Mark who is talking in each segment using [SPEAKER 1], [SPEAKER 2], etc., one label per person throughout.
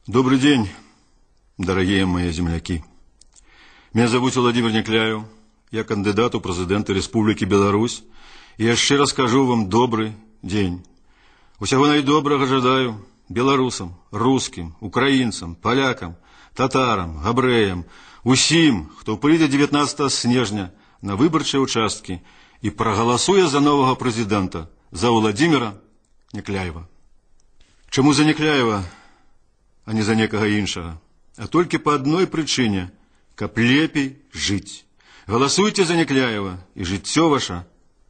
[SPEAKER 1] Добрый день, дорогие мои земляки. Меня зовут Владимир Некляев, я кандидат у президента Республики Беларусь, и я щиро скажу вам добрый день. Усього найдоброго жадаю белорусам, русским, украинцам, полякам, татарам, габреям, усім, хто прийде 19 снежня на виборчі участки і проголосує за нового президента, за Владимира Некляева. Чому за Некляева, а не за некого іншого? А тільки по одной причине, каб лепей жить. Голосуйте за Некляева, і життя ваше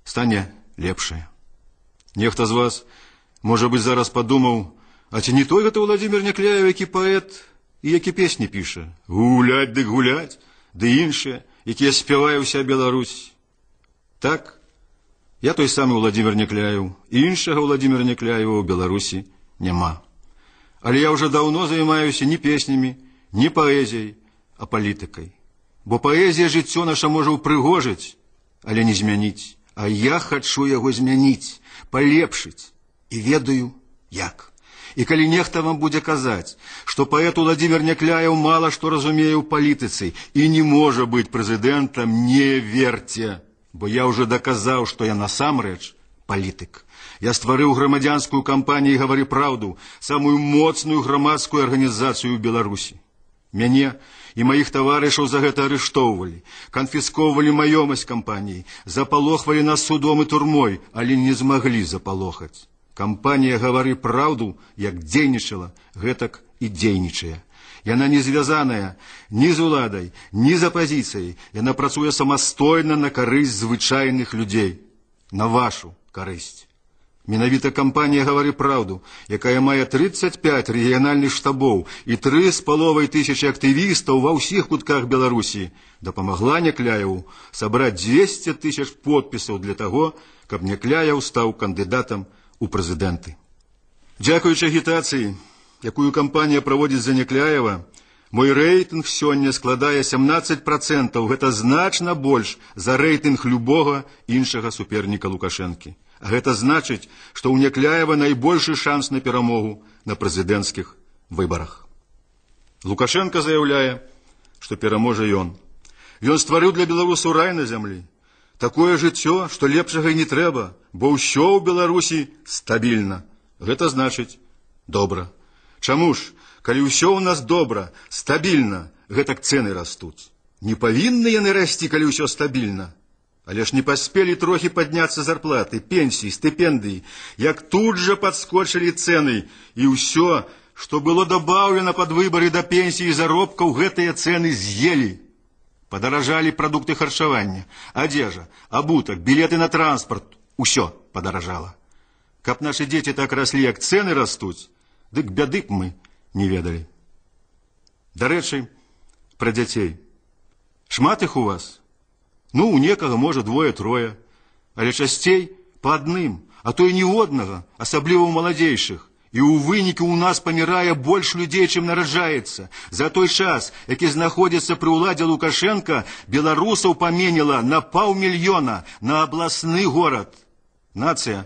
[SPEAKER 1] стане лепшее. Нехто з вас, може бути, зараз подумав, а чи не той гэта Владимир Некляев, який поет і які песні пише? Гулять, дык гулять, ды іншыя, якія спявае ўся Беларусь. Так, я той самый Владимир Некляев, іншага Владимира Некляева ў Беларусі няма. Але я уже давно займаюся не песнями, не поэзией, а політикой. Бо поэзия жыццё наша можа ўпрыгожыць, але не змяніць. А я хочу яго змяніць, полепшыць. І ведаю, як. І калі нехта вам будзе казаць, што паэт Владимир Некляев мала што разумее ў палітыцы і не можа быць прэзідэнтам, не верьте. Бо я уже доказаў, што я насамрэч палітык. Я стварыў грамадзянскую кампанію «Гавары праўду», самую моцную грамадскую арганізацыю ў Беларусі. Мяне і маіх таварышаў за гэта арыштоўвалі, канфісковывалі маёмасць кампаніі, запалохвалі нас судом і турмой, але не змаглі запалохаць. Кампанія «Гавары праўду» як дзейнічала, гэтак і дзейнічае. Яна не звязаная ні з уладай, ні з апазіцыяй. Яна працуе самастойна на карысць звычайных людзей, на вашу карысць. Менавіта кампанія «Гавары праўду», якая мае 35 рэгіянальных штабоў і 3,5 тысячы актывістаў ва ўсіх кутках Беларусі, дапамагла Некляеву сабраць 200 тысяч подпісаў для таго, каб Некляев стаў кандыдатам у прэзідэнты. Дзякуючы агітацыі, якую кампанія праводзіць за Некляева, мой рэйтынг сёння складае 17%, гэта значна больш за рэйтынг любога іншага суперніка Лукашэнкі. А гэта значыць, што ў Некляева найбольшы шанс на перамогу на прэзідэнцкіх выбарах. Лукашенко заяўляе, што пераможа ён. Ён стварыў для беларусаў рай на зямлі. Такое жыццё, што лепшага і не трэба, бо ўсё ў Беларусі стабільна. Гэта значыць добра. Чаму ж, калі ўсё ў нас добра, стабільна, гэтак цэны растуць? Не павінны яны расці, калі ўсё стабільна. Але ж не паспелі трохі падняцца зарплаты, пенсіі, стыпендыі, як тут жа падскочылі цэны, і ўсё, што было дабаўлена пад выбары да пенсіі і заробкаў, гэтыя цэны з'елі. Падаражалі прадукты харчавання, адзежа, абутак, білеты на транспарт, усё падаражала. Каб нашы дзеці так раслі, як цэны растуць, дык бяды б мы не ведалі. Дарэчы, пра дзяцей. Шмат іх у вас? Ну, у некага, можа, двое-трое, але часцей па адным, а то і не ў однага, асабліва ў маладзейшых. І ў выніку ў нас памірае больш людзей, чым нараджаецца. За той час, які знаходзіцца пры ўладзе Лукашенка, беларусаў паменела на 500 000 на абласны горад. Нацыя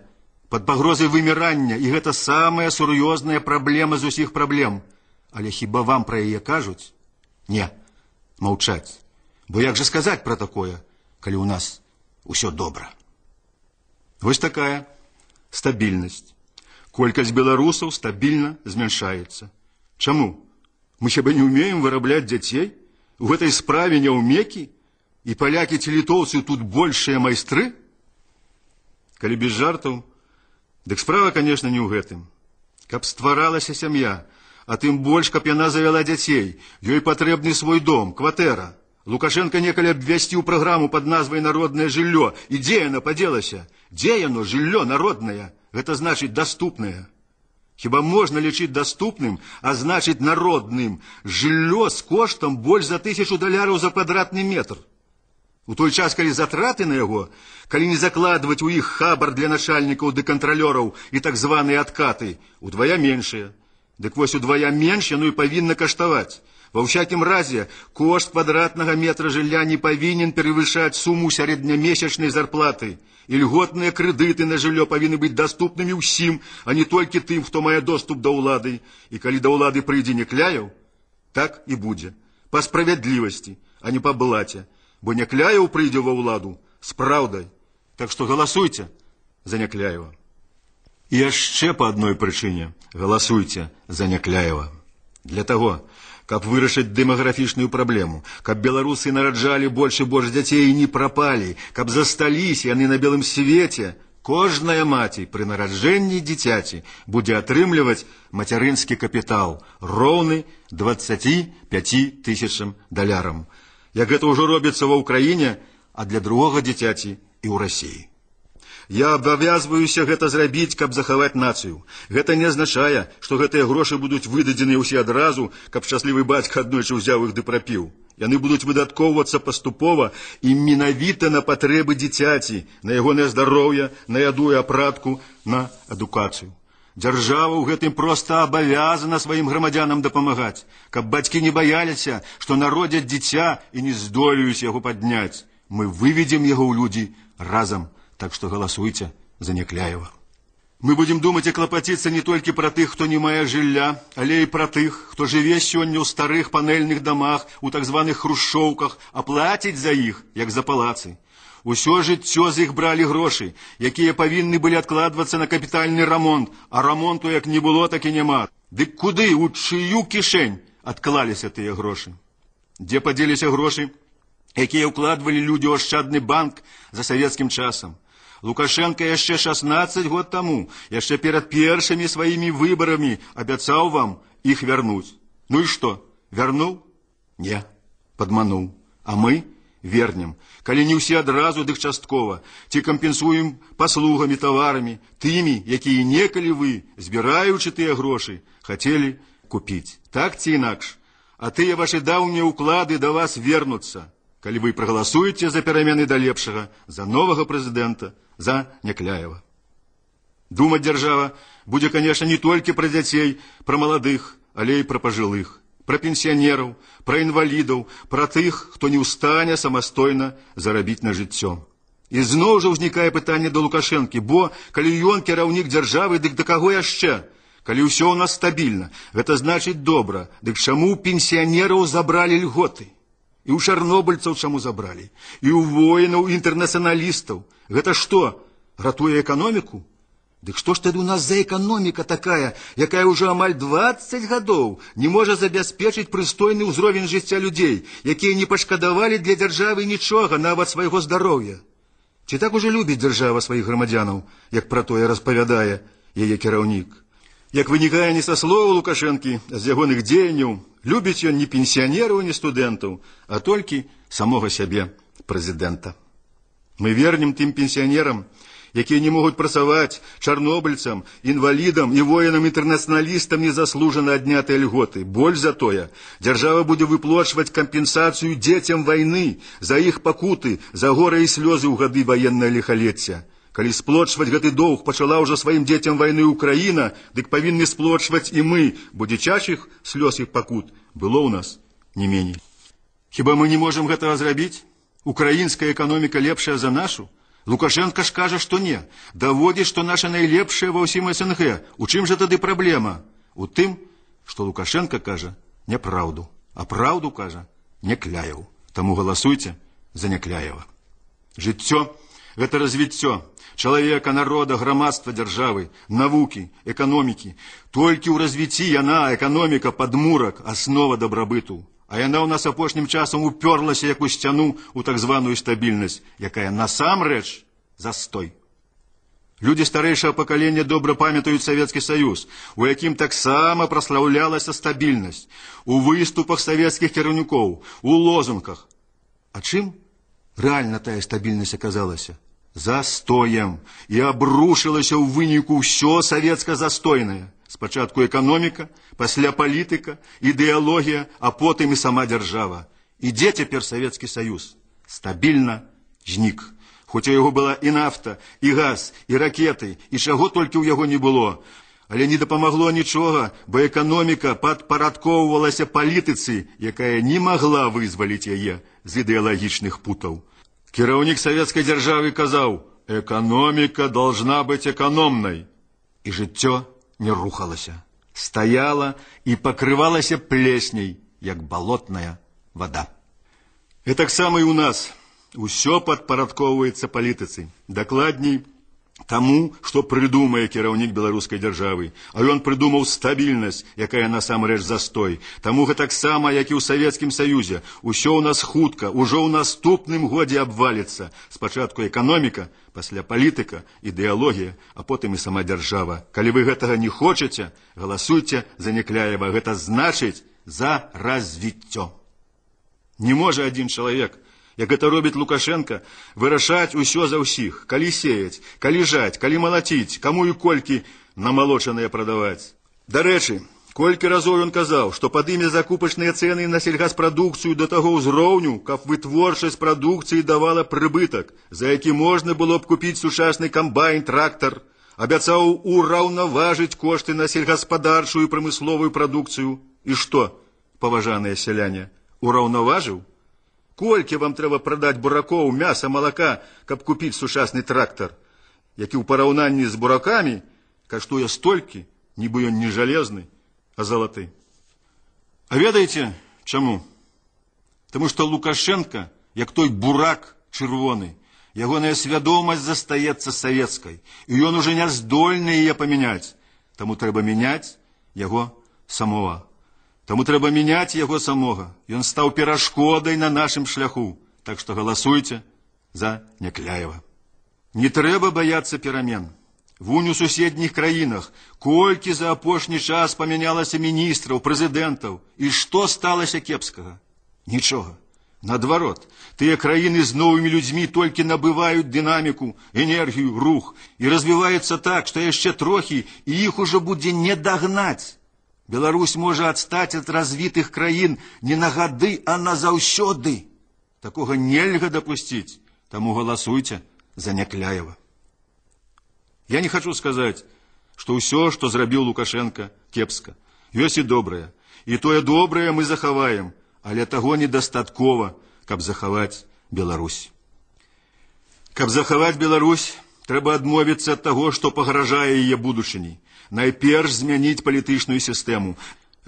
[SPEAKER 1] пад пагрозай вымірання, і гэта самая сур'ёзная праблема з усіх праблем. Але хіба вам пра яе кажуць? Не, маўчаць. Бо як жа сказаць пра такое, калі ў нас усё добра? Вось такая стабільнасць. Колькасць беларусаў стабільна змяншаецца. Чаму? Мы хіба не ўмеем вырабляць дзяцей? У гэтай справе няўмекі? І палякі ці літоўцы тут большыя майстры? Калі без жартаў, дык справа, конечно, не ў гэтым. Каб стваралася сям'я, а тым больш, каб яна завяла дзяцей, ёй патрэбны свой дом, кватэра. Лукашенко некалі абвясціў праграму пад назвай «Народнае жыллё». І дзе яно падзелася? Дзе яно, жыллё народнае? Гэта значыць даступнае. Хіба можна лічыць даступным, а значыць народным, жыллё з коштам больш за $1000 за квадратны метр? У той час, калі затраты на яго, калі не закладваць у іх хабар для начальнікаў ды кантралёраў і так званыя адкаты, удвая меншыя. Дык вось удвая менш яно і павінна каштаваць. Во всяком разе, кошт квадратного метра жилья не повинен превышать сумму среднемесячной зарплаты. И льготные кредиты на жилье повинны быть доступными всем, а не только тем, кто мае доступ до улады. И коли до улады прийде Некляев, так и будет. По справедливости, а не по блате. Бо Некляев прийде во уладу с правдой. Так что голосуйте за Некляева. И еще по одной причине голосуйте за Некляева. Для того, каб вырашыць дэмаграфічную праблему, каб беларусы нараджалі больш і больш дзяцей і не прапалі, каб засталіся яны на белым свеце, кожная маці пры нараджэнні дзіцяці будзе атрымліваць мацярынскі капітал, роўны 25 тысячам далярам. Як гэта ўжо робіцца ва ўкраіне, а для другога дзіцяці і ў Расіі. Я абавязваюся гэта зрабіць, каб захаваць нацыю. Гэта не азначае, што гэтыя грошы будуць выдадзеныя ўсе адразу, каб шчаслівы бацька аднойчы ўзяў іх ды прапіў. Яны будуць выдаткоўвацца паступова і менавіта на патрэбы дзіцяці, на ягонае здароўе, на яду і апратку, на адукацыю. Дзяржава ў гэтым проста абавязана сваім грамадзянам дапамагаць, каб бацькі не баяліся, што народзяць дзіця і не здолеюць яго падняць. Мы выведзем яго ў людзі разам. Так что голосуйте за Некляева. Мы будем думать и клопотиться не только про тех, кто не мае жилья, але и про тех, кто живе сегодня у старых панельных домах, у так званых хрущовках, а платить за их, як за палацы. Усё жыццё з іх брали гроши, якія павінны были откладываться на капитальный ремонт, а ремонту як не было, так и нема. Дык куды, у чыю кишень адклаліся тыя гроши? Дзе падзеліся гроши, якія ўкладвалі людзі ў ашчадны банк за савецкім часам? Лукашенко яшчэ 16 год таму, яшчэ перад першымі сваімі выбарамі абяцаў вам іх вярнуць. Ну і што, вярнуў? Не, падмануў. А мы вернем. Калі не ўсе адразу, дык часткова. Ці кампенсуем паслугамі, таварамі, тымі, якія некалі вы, збіраючы тыя грошы, хацелі купіць. Так ці інакш? А тыя вашы даўнія ўклады да вас вернуцца. Калі вы прагаласуеце за перамены да лепшага, за новага прэзідэнта, за Некляева. Думаць дзяржава будзе, конечно, не толькі пра дзяцей, пра маладых, але і пра пажылых, пра пенсіянераў, пра інвалідаў, пра тых, хто не ў стане самастойна зарабіць на жыццё. І зноў жа ўзнікае пытанне да Лукашэнкі, бо калі ён кіраўнік дзяржавы, дык да каго яшчэ? Калі ўсё ў нас стабільна, гэта значыць добра, дык чаму пенсіянераў забралі льготы? І ў чарнобыльцаў чаму забралі? І ў воінаў, інтэрнацыяналістаў. Гэта што, ратуе эканоміку? Дык што ж тады ў нас за эканоміка такая, якая ўжо амаль 20 гадоў не можа забяспечыць прыстойны ўзровень жыцця людзей, якія не пашкадавалі для дзяржавы нічога, нават свайго здароўя? Ці так ужо любіць дзяржава сваіх грамадзянаў, як пра тое распавядае яе кіраўнік? Як вынікае не са слова Лукашэнкі, а з ягоных дзеянняў, любіць ён не пенсіянераў, не студэнтаў, а толькі самога сябе, прэзідэнта. Мы вернем тым пенсіянерам, якія не могуць працаваць, чарнобыльцам, інвалідам і воінам-інтэрнацыяналістам незаслужана аднятыя льготы. Больш за тое, дзяржава будзе выплачваць кампенсацыю дзецям вайны за іх пакуты, за горы і слёзы ў гады ваеннае ліхалецця. Калі сплочваць гэты доўг пачала ўжо сваім дзецям вайны Украіна, дык павінны сплочваць і мы, бо дзіцячых слёз і пакут было ў нас не меней. Хіба мы не можам гэтага зрабіць? Украінская эканоміка лепшая за нашу? Лукашенко ж кажа, што не. Даводзіць, што наша найлепшая ва ўсім СНГ. У чым жа тады праблема? У тым, што Лукашенко кажа няпраўду, а праўду кажа Некляеў. Таму галасуйце за Некляева. Жыццё – гэта развіццё чалавека, народа, грамадства, дзяржавы, навукі, эканомікі. Толькі ў развіцці яна, эканоміка, падмурак, аснова дабрабыту. А яна ў нас апошнім часам уперлася, як у сцяну, у так званую стабільнасць, якая насамрэч застой. Людзі старэйшага пакалення добра памятаюць Савецкі Саюз, у якім таксама праслаўлялася стабільнасць, у выступах савецкіх кіраўнікоў, у лозунгах. А чым рэальна тая стабільнасць аказалася? Застоем. І абрушылася ў выніку ўсё савецка-застойнае. Спачатку эканоміка, пасля палітыка, ідэалогія, а потым і сама дзяржава. І дзе цяпер Савецкі Саюз? Стабільна знік. Хоць у яго была і нафта, і газ, і ракеты, і чаго толькі ў яго не было. Але не дапамагло нічога, бо эканоміка падпарадкоўвалася палітыцы, якая не магла вызваліць яе з ідэалагічных путаў. Кіраўнік савецкай дзяржавы казаў: «Эканоміка должна быть экономнай». І жыццё не рухалася, стаяла і пакрывалася плесняй, як балотная вода. І таксама і ў нас усё падпарадкоўваецца палітыцы, дакладней таму, што прыдумае кіраўнік беларускай дзяржавы. А ён прыдумаў стабільнасць, якая насамрэч застой. Таму гэтаксама, як і ў Савецкім Саюзе, усё ў нас хутка, ужо ў наступным годзе абваліцца. Спачатку эканоміка, пасля палітыка, ідэалогія, а потым і сама дзяржава. Калі вы гэтага не хочаце, галасуйце за Някляева. Гэта значыць за развіццё. Не можа адзін чалавек, як гэта робіць Лукашенко, вырашаць усё за ўсіх, калі сеяць, калі жаць, калі малаціць, каму і колькі намалочаныя прадаваць. Дарэчы, колькі разоў ён казаў, што падыме закупачныя цэны на сельгаспрадукцыю да таго ўзроўню, каб вытворчасць прадукцыі давала прыбытак, за які можна было б купіць сучасны камбайн, трактар. Абяцаў ураўнаважыць кошты на сельгаспадарчую і прамысловую прадукцыю. І што, паважаныя сяляне, ураўнаважыў? Колькі вам трэба прадаць буракоў, мяса, малака, каб купіць сучасны трактар, які ў параўнанні з буракамі каштуе столькі, нібы ён не жалезны, а залаты. А ведаеце, чаму? Таму што Лукашенко, як той бурак чырвоны, ягоная свядомасць застаецца савецкай, і ён ужо не здольны яе памяняць. Таму трэба мяняць яго самого. Таму трэба мяняць яго самога. Ён стаў перашкодай на нашым шляху. Так што галасуйце за Някляева. Не трэба баяцца перамен. Вунь у суседніх краінах колькі за апошні час памянялася міністраў, прэзідэнтаў. І што сталася кепскага? Нічога. Наадварот, тыя краіны з новымі людзьмі толькі набываюць дынаміку, энергію, рух. І развіваюцца так, што яшчэ трохі, і іх ужо будзе не дагнаць. Беларусь можа адстаць ад развітых краін не на гады, а назаўсёды. Такога нельга дапусціць, таму галасуйце за Някляева. Я не хочу сказаць, што ўсё, што зрабіў Лукашенко, кепска. Ёсць і добрае. І тое добрае мы захаваем, але таго недастаткова, каб захаваць Беларусь. Каб захаваць Беларусь, трэба адмовіцца ад таго, што пагражае яе будучыні. Найперш змяніць палітычную сістэму.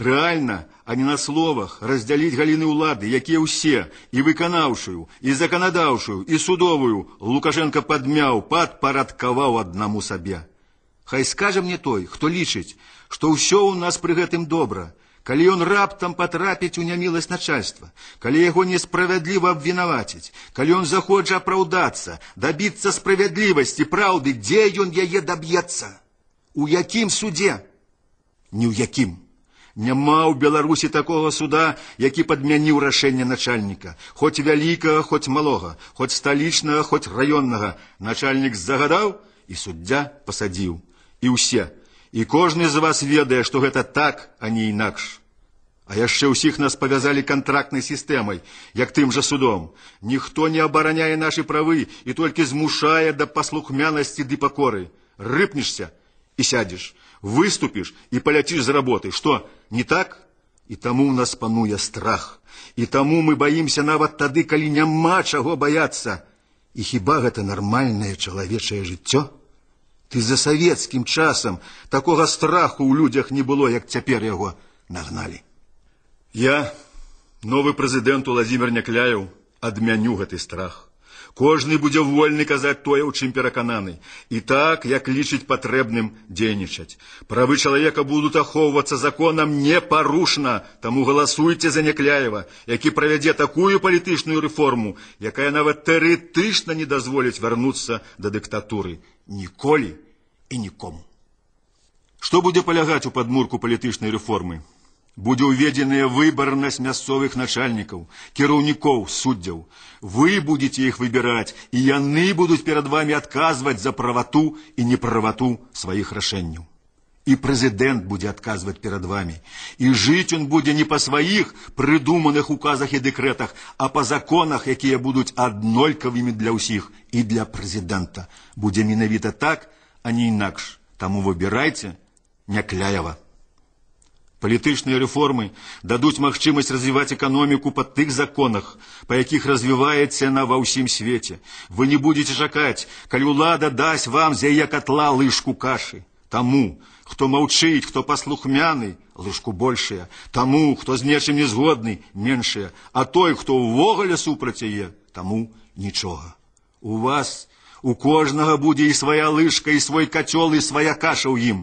[SPEAKER 1] Рэальна, а не на словах, раздзяліць галіны ўлады, якія ўсе, і выканаўшую, і заканадаўшую, і судовую, Лукашенко падмяў, падпарадкаваў аднаму сабе. Хай скажа мне той, хто лічыць, што ўсё ў нас пры гэтым добра, калі ён раптам патрапіць у няміласць начальства, калі яго несправядліва абвінаваціць, калі ён захоча апраўдацца, дабіцца справядлівасці, праўды, дзе ён яе даб'ецца? У якім судзе? Ні ў якім. Няма ў Беларусі такога суда, які падмяніў рашэнне начальніка. Хоць вялікага, хоць малога, хоць сталічнага, хоць раённага. Начальнік загадаў, і суддзя пасадзіў. І ўсе. І кожны з вас ведае, што гэта так, а не інакш. А яшчэ ўсіх нас павязалі кантрактнай сістэмай, як тым жа судом. Ніхто не абараняе нашы правы і толькі змушае да паслухмянасці ды пакоры. Рыпнешся і сядзеш, выступіш і паляціш з работы. Што, не так? І таму ў нас пануе страх. І таму мы баімся нават тады, калі няма чаго баяцца. І хіба гэта нармальнае чалавечае жыццё? Ты за савецкім часам такога страху ў людзях не было, як цяпер яго нагналі. Я, новы прэзідэнт Уладзімір Някляеў, адмяню гэты страх. Кожны будзе вольны казаць тое, у чым перакананы. І так, як лічыць патрэбным дзейнічаць. Правы чалавека будуць ахоўвацца законам непарушна, таму галасуйце за Някляева, які правядзе такую палітычную рэформу, якая нават тэарэтычна не дазволіць вярнуцца да дыктатуры. Ніколі і нікому. Што будзе палягаць у падмурку палітычнай рэформы? Будзе ўведзеная выбарнасць мясцовых начальнікаў, кіраўнікоў, суддзяў. Вы будете іх выбіраць, і яны будуць перад вами адказваць за правату і неправату сваіх рашэнняў. І прэзідэнт будзе адказваць перад вами. І жыць ён будзе не па сваіх прыдуманых указах і дэкрэтах, а па законах, якія будуць аднолькавымі для ўсіх. І для прэзідэнта будзе менавіта так, а не інакш. Таму выбірайце Някляева. Палітычныя рэформы дадуць магчымасць развіваць эканоміку па тых законах, па якіх развіваецца яна ва ўсім свеце. Вы не будете чакаць, калі ўлада дасць вам з яе катла лыжку кашы. Таму, хто маўчыць, хто паслухмяны, лыжку большая. Таму, хто з нечым не згодны, меншая. А той, хто ўвогуле супраць яе, таму нічога. У вас, у кожнага будзе і свая лыжка, і свой кацёл, і свая каша ў ім.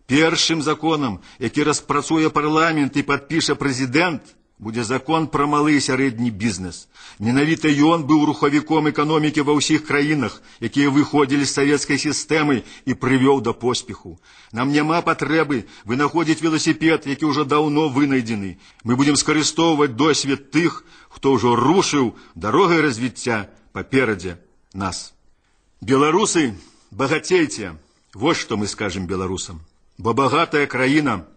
[SPEAKER 1] Першым законам, які распрацуе парламент і падпіша прэзідэнт, будзе закон пра малы і сярэдні бізнес. Менавіта ён быў рухавіком эканомікі ва ўсіх краінах, якія выходзілі з савецкай сістэмы і прывёў да поспеху. Нам няма патрэбы вынаходзіць веласіпед, які ўжо даўно вынайдзены. Мы будзем скарыстоўваць досвед тых, хто ўжо рушыў дарогай развіцця паперадзе нас. Беларусы, багацейце, вось што мы скажем беларусам. Бо багатая краіна –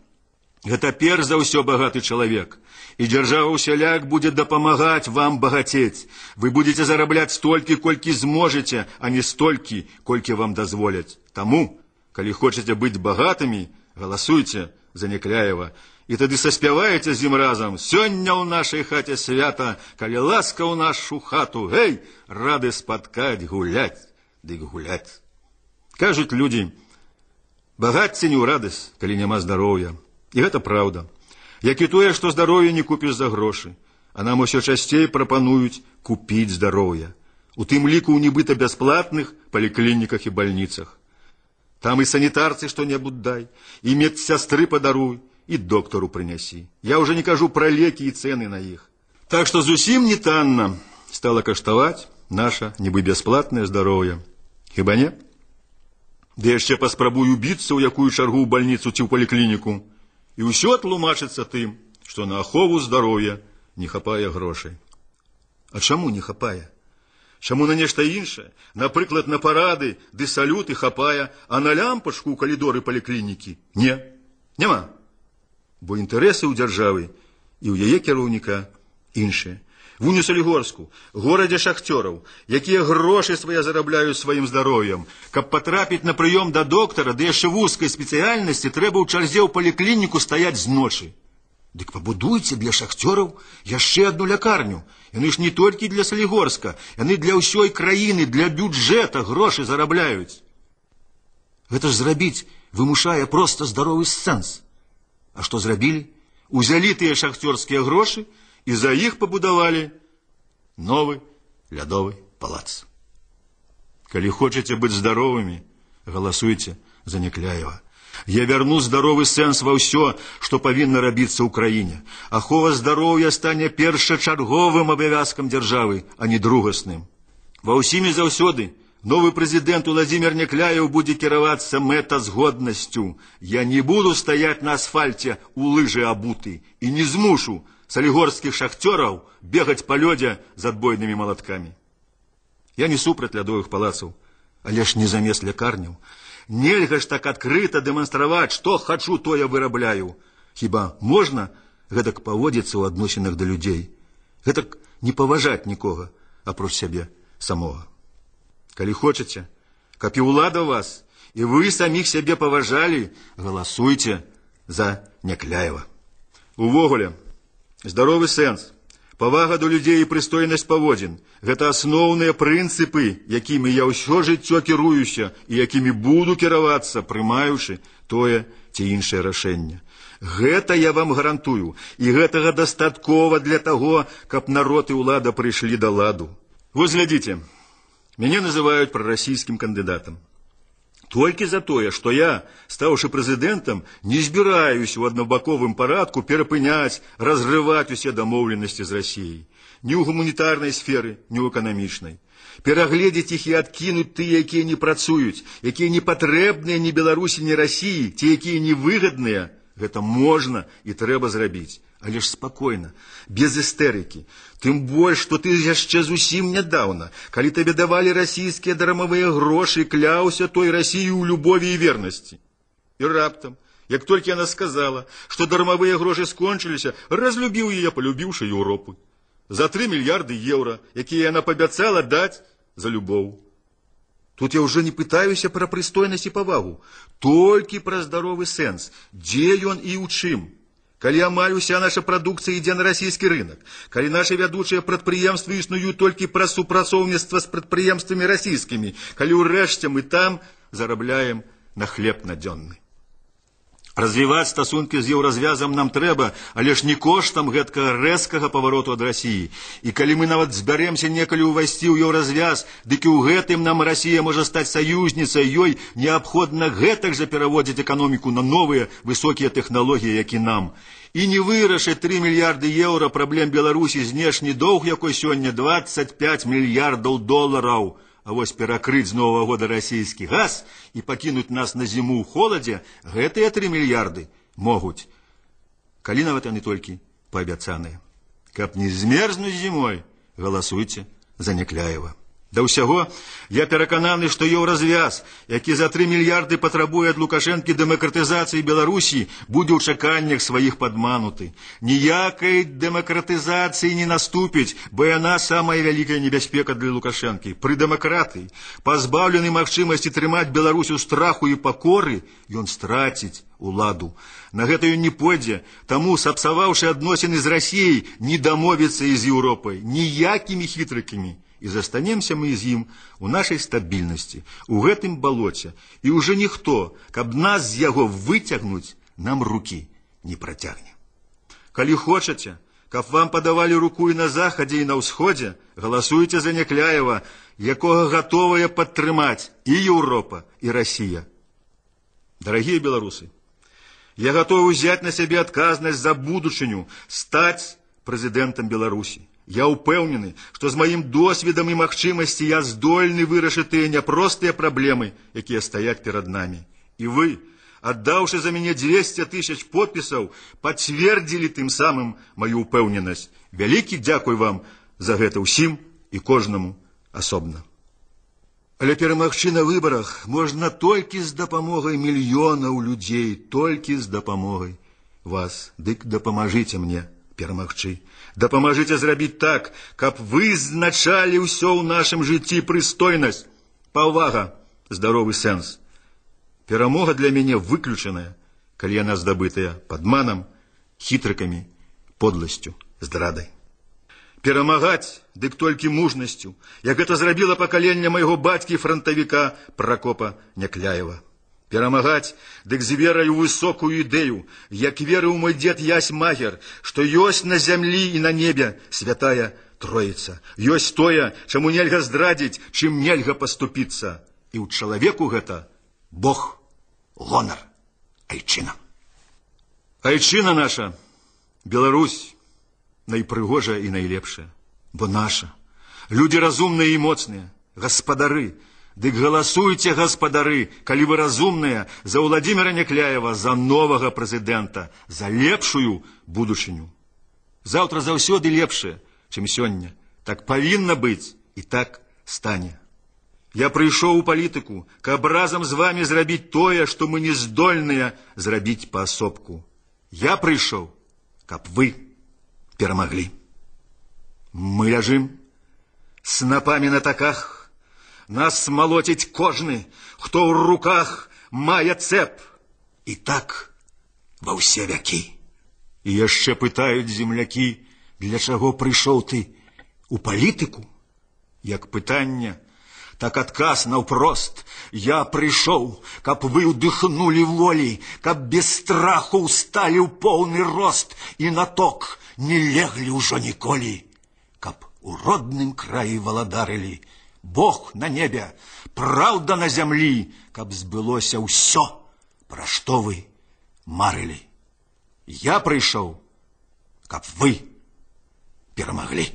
[SPEAKER 1] гэта перш за ўсё багаты чалавек. І дзяржава ўсяляк будзе дапамагаць вам багацець. Вы будете зарабляць столькі, колькі зможаце, а не столькі, колькі вам дазволяць. Таму, калі хочаце быць багатымі, галасуйце за Някляева. І тады саспяваеце з ім разам. Сёння ў нашай хаце свята, калі ласка ў нашу хату. Гэй, рады спаткаць, гуляць, дык гуляць. Кажуць людзі, багацце не ў радасць, калі няма здароўя. І гэта праўда. Як і тое, што здароўе не купіш за грошы. А нам усё часцей прапануюць купіць здароўе. У тым ліку ў нібыта бясплатных паліклініках і бальніцах. Там і санітарцы што-небудзь дай, і медсястры падаруй, і доктару прынясі. Я ўжо не кажу пра лекі і цэны на іх. Так што зусім не танна стала каштаваць наша нібы бясплатнае здароўе. Хіба не? Ды яшчэ паспрабую біцца ў якую чаргу ў бальніцу ці ў паліклініку. І ўсё тлумачыцца тым, што на ахову здароўя не хапае грошай. А чаму не хапае? Чаму на нешта іншае? Напрыклад, на парады ды салюты хапае, а на лямпачку ў калідоры паліклінікі не. Няма. Бо інтарэсы ў дзяржавы і ў яе кіраўніка іншыя. В Солігорску, горадзе шахцёраў, якія грошы свае зарабляюць сваім здароўем. Каб патрапіць на прыём да доктара, ды яшчэ вузкай спецыяльнасці, трэба ў чарзе ў паліклініку стаяць з ночы. Дык пабудуйце для шахцёраў яшчэ адну лякарню. Яны ж не толькі для Солігорска, яны для ўсёй краіны, для бюджэта грошы зарабляюць. Гэта ж зрабіць вымушае проста здаровы сэнс. А што зрабілі? Узялі тыя шахцёрскія грошы і за іх пабудавалі новы лядовы палац. Калі хочаце быць здаровымі, галасуйце за Някляева. Я вярну здаровы сэнс ва ўсё, што павінна рабіцца ў краіне. Ахова здароўя стане першачарговым абавязкам дзяржавы, а не другасным. Ва ўсім і заўсёды новы прэзідэнт Уладзімір Някляеў будзе кіравацца мэтазгоднасцю. Я не буду стаяць на асфальце у лыжы абуты і не змушу солігорскіх шахцёраў бегаць па лёдзе з адбойнымі малаткамі. Я не супраць лядовых палацаў, але ж не замест лякарняў. Нельга ж так адкрыта дэманстраваць, што хачу, тое вырабляю. Хіба можна гэтак паводзіцца ў адносінах да людзей? Гэтак не паважаць нікога, апроч сябе самога. Калі хочаце, каб і ўлада вас, і вы саміх сябе паважалі, галасуйце за Някляева. Увогуле, здаровы сэнс, павага да людзей і прыстойнасць паводзін – гэта асноўныя прынцыпы, якімі я ўсё жыццё кіруюся і якімі буду кіравацца, прымаючы тое ці іншае рашэнне. Гэта я вам гарантую, і гэтага дастаткова для таго, каб народ і ўлада прыйшлі да ладу. Вось глядзіце, мяне называюць прарасійскім кандыдатам. Толькі за тое, што я, стаўшы прэзідэнтам, не збіраюсь у аднабаковым парадку перапыняць, разрываць усе дамоўленасці з Расіяй. Ні ў гуманітарнай сферы, ні ў эканамічнай. Перагледзець іх і адкінуць тыя, якія не працуюць, якія не патрэбныя ні Беларусі, ні Расіі, ці якія невыгадныя. Гэта можна і трэба зрабіць. Але ж спакойна, без істэрыкі. Тым больш, што ты яшчэ зусім нядаўна, калі табе давалі расійскія дармавыя грошы, кляўся той Расіі ў любові і вернасці. І раптам, як толькі яна сказала, што дармавыя грошы скончыліся, разлюбіў яе, палюбіўшы Еўропу. За 3 мільярды еўра, якія яна пабяцала даць за любоў. Тут я уже не пытаюся про прыстойнасць і павагу, толькі пра здоровы сэнс, дзе ён і ў чым. Калі амаль уся наша прадукцыя ідзе на расійскі рынок, калі нашы вядучыя прадпрыемствы існуюць толькі праз супрацоўніцтва з прадпрыемствамі расійскімі, калі ўрэшце мы там зарабляем на хлеб надзённы. Развіваць стасункі з еўразвязам нам трэба, але ж не коштам гэткага рэзкага павароту ад Расіі. І калі мы нават збяремся некалі ўвайсці ў еўразвяз, дык і ў гэтым нам Расія можа стаць саюзніцай, ёй неабходна гэтак жа пераводзіць эканоміку на новыя высокія тэхналогіі, як і нам. І не вырашыць 3 мільярды еўра праблем Беларусі, знешні доўг якой сёння 25 мільярдаў долараў. А вось перакрыць з Новага года расійскі газ і пакінуць нас на зіму ў холадзе, гэтыя 3 мільярды могуць, калі нават яны толькі паабяцаныя. Каб не змерзнуць зімой, галасуйце за Някляева. Да ўсяго, я перакананы, што еўразвяз, які за 3 мільярды патрабуе ад Лукашэнкі дэмакратызацыі Беларусі, будзе ў чаканнях сваіх падмануты. Ніякай дэмакратызацыі не наступіць, бо яна самая вялікая небяспека для Лукашэнкі. Пры дэмакратыі, пазбаўлены магчымасці трымаць Беларусь у страху і пакоры, ён страціць уладу. На гэта ён не пойдзе, таму, сапсаваўшы адносіны з Расіяй, не дамовіцца і з Еўропай ніякімі хітрыкамі. І застанемся мы з ім у нашай стабільнасці, у гэтым балоце, і ўжо ніхто, каб нас з яго выцягнуць, нам рукі не працягне. Калі хочаце, каб вам падавалі руку і на захадзе, і на ўсходзе, галасуйце за Някляева, якога гатовая падтрымаць і Еўропа, і Расія. Дарагія беларусы, я гатовы ўзяць на сябе адказнасць за будучыню, стаць прэзідэнтам Беларусі. Я ўпэўнены, што з маім досведам і магчымасці я здольны вырашыць тыя няпростыя праблемы, якія стаяць перад намі. І вы, аддаўшы за мяне 200 000 подпісаў, пацвердзілі тым самым маю ўпэўненасць. Вялікі дзякуй вам за гэта ўсім і кожнаму асобна. Але перамагчы на выбарах можна толькі з дапамогай мільёнаў людзей, толькі з дапамогай вас. Дык дапамажыце мне перамагчы. Дапамажыце зрабіць так, каб вызначалі ўсё ў нашым жыцці прыстойнасць, павага, здаровы сэнс. Перамога для мяне выключаная, калі яна здабытая падманам, хітрыкамі, подласцю, здрадай. Перамагаць, дык толькі мужнасцю, як гэта зрабіла пакаленне майго бацькі-франтавіка Пракопа Някляева. Перамагаць, дык з верай у высокую ідэю, як верыў мой дзед Ясь Магер, што ёсць на зямлі і на небе святая Троіца. Ёсць тое, чаму нельга здрадзіць, чым нельга паступіцца. І ў чалавеку гэта Бог, гонар, айчына. Айчына наша, Беларусь, найпрыгожая і найлепшая, бо наша. Людзі разумныя і моцныя, гаспадары. Дык галасуйце, гаспадары, калі вы разумныя, за Владимира Някляева, за новага прэзідэнта, за лепшую будучыню. Заўтра заўсёды лепшае, чым сёння. Так павінна быць і так стане. Я прыйшоў у палітыку, каб разам з вамі зрабіць тое, што мы не здольныя зрабіць паасобку. Я прыйшоў, каб вы перамаглі. Мы ляжым снапамі на таках, нас малоціць кожны, хто ў руках мае цэп. І так ва ўсе вякі. І яшчэ пытаюць землякі, для чаго прыйшоў ты у палітыку? Як пытанне, так адказ наўпрост. Я прыйшоў, каб вы ўдыхнулі волі, каб без страху ўсталі ў поўны рост і на ток не леглі ўжо ніколі, каб у родным краі валадарылі Бог на небе, праўда на зямлі, каб збылося ўсё, пра што вы марылі. Я прыйшоў, каб вы перамаглі.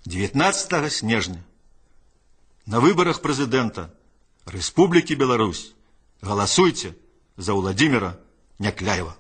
[SPEAKER 1] 19 снежня на выбарах прэзідэнта Рэспублікі Беларусь галасуйце за Владимира Някляева.